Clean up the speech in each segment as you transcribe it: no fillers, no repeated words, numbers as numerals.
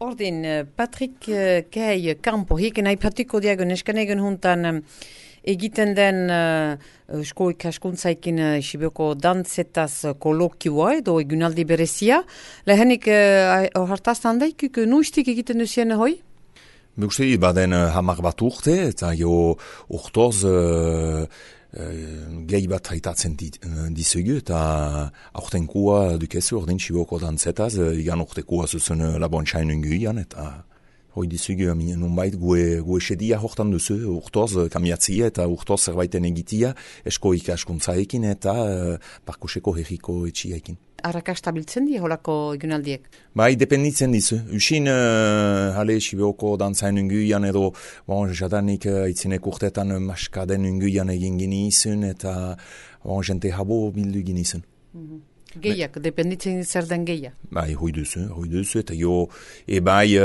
Ordin, Patrick Kei Campo, hieken aipatuko diago neskanegen juntan egiten den esko ikaskuntzaikin Sibioko dantzetaz kolokioa edo egunaldi berezia. Lehenik hartaztan daikuk nuistik egiten duzien hoi? Uste baden hamar bat urte eta jo urtoz gehi bat haitatzen dizugu eta aurtenkua dukezu ordin Sibioko dantzetaz, igan urtekua zuzen labontxain unguian eta hoi dizugu nunbait gue sedia hortan duzu urtoz kamiatzia eta urtoz zerbaiten egitia esko ikaskuntzaekin eta parkuseko herriko etxiaekin. Arrakastabiltzen di holako egunaldiek? Bai, dependitzen dizu. Usin, hale, Sibioko dantzain unguian edo, jadanik itzinek urtetan maskaden unguian egin ginizun eta jente habo bildu ginizun. Gehiak, dependitzen zer den gehiak? Bai, hoi duzu, eta jo, bai,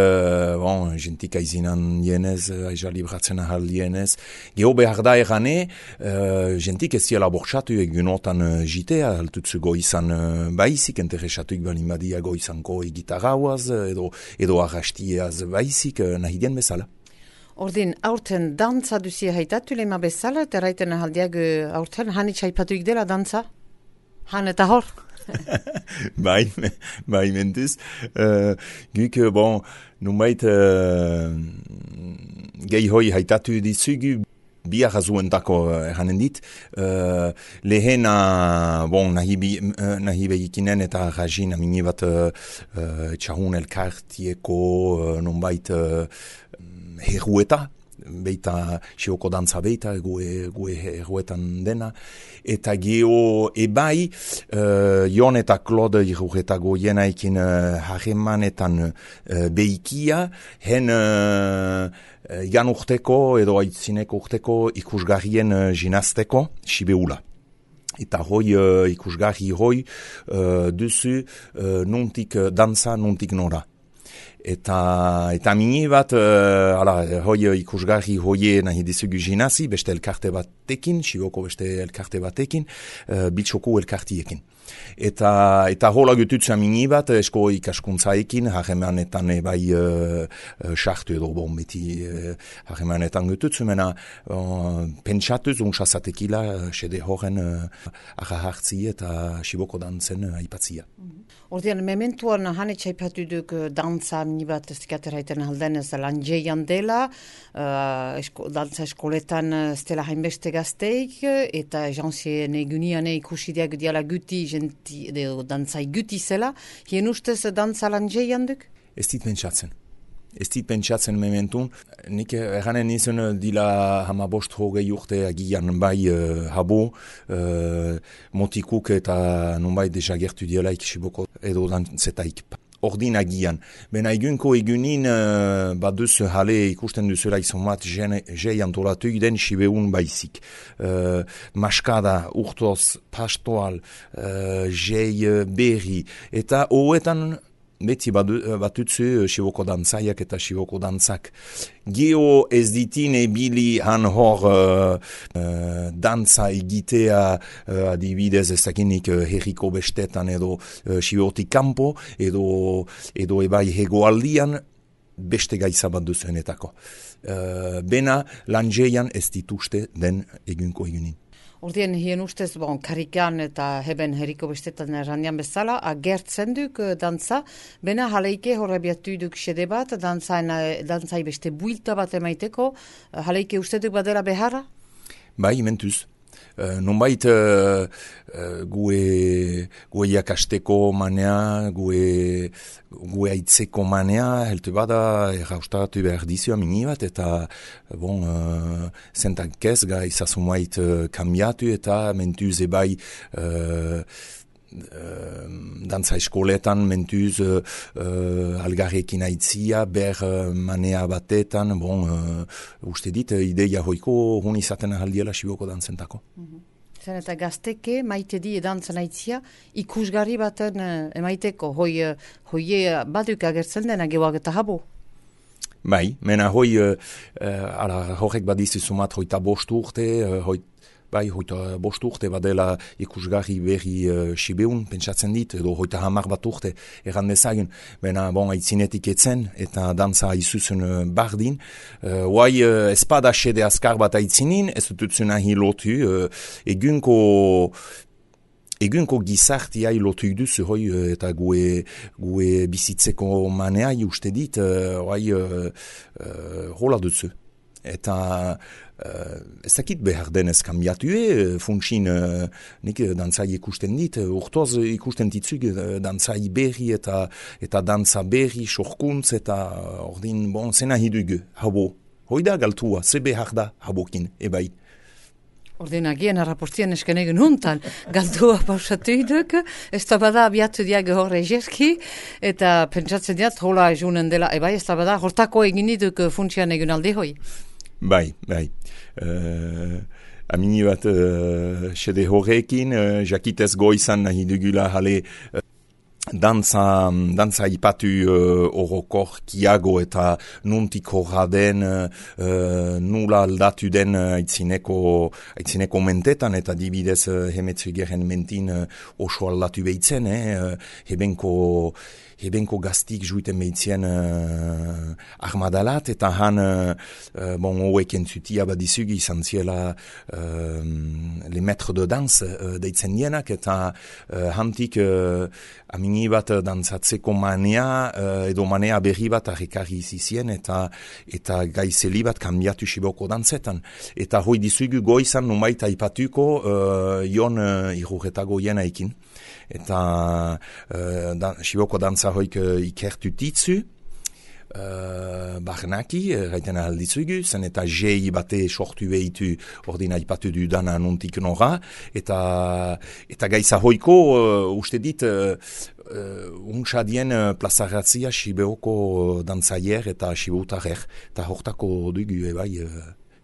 jentik aizinan dienez, aiza libratzen ahal dienez. Geho behar da erane, jentik ez ziela bortxatu egunotan jitea, altutzu goizan baizik, interesatuik balin badia goizanko egitarauaz, edo arrastiaz baizik, nahi dien bezala. Ordin, aurten dantza duzia haitatu lema bezala, eta raiten ahaldiag aurten hanitz haipatuik dela dantza? Han eta hor? bai mentuz. Guk, nunbait gehi hoi haitatu dizugu, bi arrazuentako erranen dit. Lehena, nahi behikinen eta rajin amini bat txahun elkartieko nunbait herrueta, beita Sibioko dantza beita, gue herruetan dena. Eta geho ebai, Jon eta Claude iruretago jenaikin harremanetan behikia, hen igan urteko edo aitzineko urteko ikusgarrien jinazteko Sibeula. Eta hoi ikusgarri hoi duzu nuntik dantza, nuntik nora. Eta mini bat, hoi ikusgarri hoie nahi dizugu jinazi, beste elkarte batekin, Sibioko beste elkarte batekin, bitxoko elkartiekin. Eta hola gututza mini bat, esko ikaskuntzaekin, harremanetan bai sartu edo beti harremanetan gututzu, mena pentsatuz untsazatekila sede horren arra hartzi eta Sibioko dantzen aipatzia. Ordean, mementuan hanetx aipatu duk dantza minibat ez dikateraiten aldenez lan jeian dela, dantza eskoletan ez dela hainbeste gazteik, eta jantzien egunian ikusi diak diala guti, dantzai guti zela, hien ustez dantza lan jeian duk? Ez dit pentsatzen mementun. Nik erranen nizun dila hamabost hogei urte agian bai habo motikuk eta nunbait desagertu dielaik Siboko edo dantzetaik. Ordin agian. Bena egunko egunin baduz hale ikusten duzela izomat jei antolatuik den Sibeun baizik. Maskada, urtoz, pastoal, jei berri. Eta hoetan beti batutzu Siboko dantzaiak eta Siboko dantzak. Geho ez ditin ebili han hor dantza egitea adibidez ezakinik herriko bestetan edo Sibotik kanpo edo ebai hegoaldian beste gaiza bat duzuenetako. Bena lanjeian ez dituzte den egunko egunin. Ordien, hien ustez, karikan eta heben herriko bestetan errandian bezala, agertzen duk dantza, bena haleike horrebiatu duk sede bat, dantzai beste builta bat emaiteko, haleike uste duk badela beharra? Bai, mentuz. Nonbait gue jakasteko manea, gue aitzeko manea, helte bada erraustatu behar dizioa mini bat, eta zentak ez gai zazumait kambiatu eta mentuz ebai dantza eskoletan mentuz algarrekin aitzia, ber manea batetan, uste dit, ideia hoiko hon izaten ahaldiela Siboko dantzentako. Zen eta gazteke maite di dantzan aitzia ikusgarri baten emaiteko, hoie baduk agertzen dena geoak eta habo? Bai, mena horrek badizu sumat hoita bost urte, bai, hoita bost urte badela ikusgarri berri Sibeun, pentsatzen dit, edo hoita 10 urte erran dezagun, baina aitzinetik etzen, eta dantza izuzen bardin. Hoai espada xede azkar bat aitzinin, ez dututzen ahi lotu, egunko gizartia lotu duzu, hoi, eta gue bizitzeko manea uste dit, hola duzu. Eta ez dakit behar denez kambiatue, funtsin nik dantzai ikusten dit, urtoz ikusten ditzuk dantzai berri eta dantza berri, sorkuntz eta ordin, zena hidugu, habo. Hoida galtua, ze behar da habokin, ebai. Ordin agien arraportien esken egin huntan, galdua pausatu iduk, ez da bada abiatu diag horre jerki, eta pentsatzen diat, hola ejunen dela, ebai, ez da bada, hortako egin iduk funtsian egin alde hoi. Bai. Amini bat xede horrekin, jakitez goizan nahi dugula jale dantza ipatu orokor kiago eta nuntik horra den, nula aldatu den aitzineko mentetan, eta dibidez hemetzugeren mentin oso aldatu behitzen, hebenko gaztik juiten behitzen armadalat, eta han hoek entzutia badizugi izan ziela le maître de danse deitzen dienak, eta hantik amini bat dantzatzeko manea, edo manea berri bat arrekarri izizien, eta gaizeli bat kambiatu Siboko dantzetan. Eta hoi dizugu goizan numait aipatuko Jon Irurretago jenaikin. Eta Siboko dantza hoik ikertu titzu, barnaki, gaiten ahalditzugu, zen eta jei bate sortu behitu ordina ipatu du dana nuntik nora, eta gaiza hoiko uste dit untsadien plazaratzia Sibeoko dantzaier eta Siboutarrer, eta hortako dugu ebai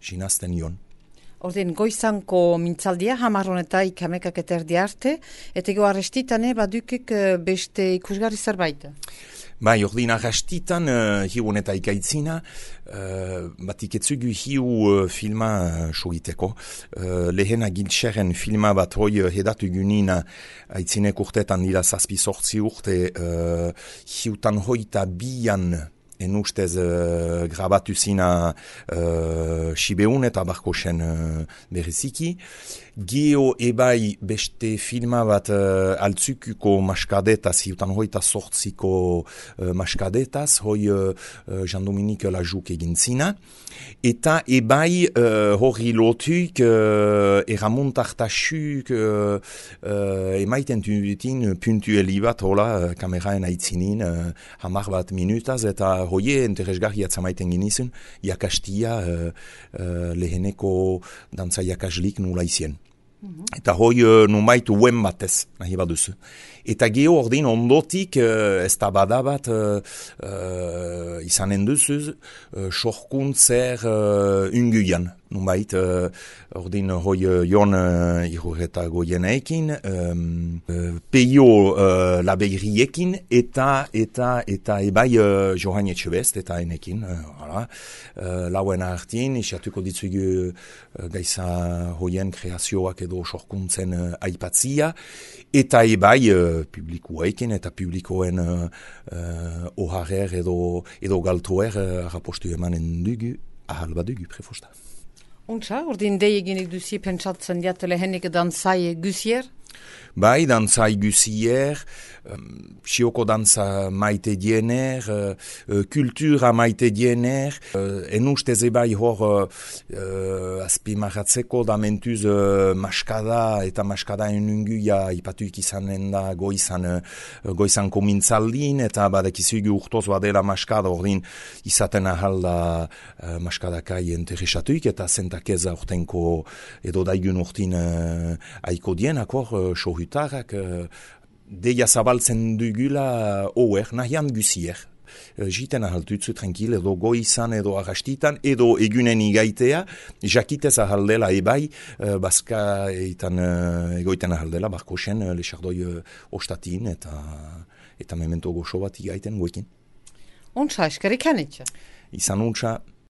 sinazten Jon. Ordin, goizanko mintzaldia, hamarronetaik hamekak eta erdi arte, eta ego arrestitane badukik beste ikusgarri zerbait? Bai, ordin arrastitan hiu eta ikaitzina, batik etzugu hiu filma sogiteko. Lehen agiltxeren filma bat hoi hedatu gunina aitzinek urtetan dira 7-8 urte, hiutan hoita bian en ustez grabatu zina Sibeun eta Barkosen bereziki. Geo ebai beste filma bat altzukuko maskadetaz, hiutan hoita sortziko maskadetaz, hoi Jean-Dominique Lajouk egin zina. Eta ebai hori lotuk eramontartasuk emaiten dutin puntueli bat, hola, kameraen aitzinin, 10 minutaz, eta hoie interesgarri atzamaiten ginizun, jakastia leheneko dantza jakaslik nula izien. Eta hoi numait uen batez, nahi baduzu. Eta geho ordin ondotik ez da badabat izanen duzuz sorkuntzer unguian. Numait ordin hoi Jon Irurretago jeneekin, peio labeiriekin eta ebai Johan Etxebest eta enekin. Lauen hartin, isiatuko ditzugu gaiza hoien kreazioak edo sorkuntzen aipatzia, eta ebai publikoekin eta publikoen oharer edo galtoer rapostu emanen dugu, ahal badugu prefosta. Untsa, ordin deieginik duzi pentsatzen diat lehenik dantzai guzier? Bai, dantzai guzier, Sioko dantza maite diener, kultura maite diener, en ustez ebai hor azpimarratzeko da mentuz maskada eta maskada enunguia ipatuik izanen da goizanko mintzaldin, eta badakizugu urtoz badela maskada, ordin izaten ahal da maskadakai interesatuik, eta zentakez urtenko edo daigun urtin aiko dienak hor sohutarak, deia zabaltzen dugula oer, nahian guzier. Jiten ahaltutzu tranquil, edo goizan, edo arrastitan, edo egunen igaitea, jakitez ahaldela ebai, bazka egoiten ahaldela, Barkosen, lexardoi ostatin, eta memento goxo bat igaiten goekin. Untsa, eskerik hanitza? Izan untsa.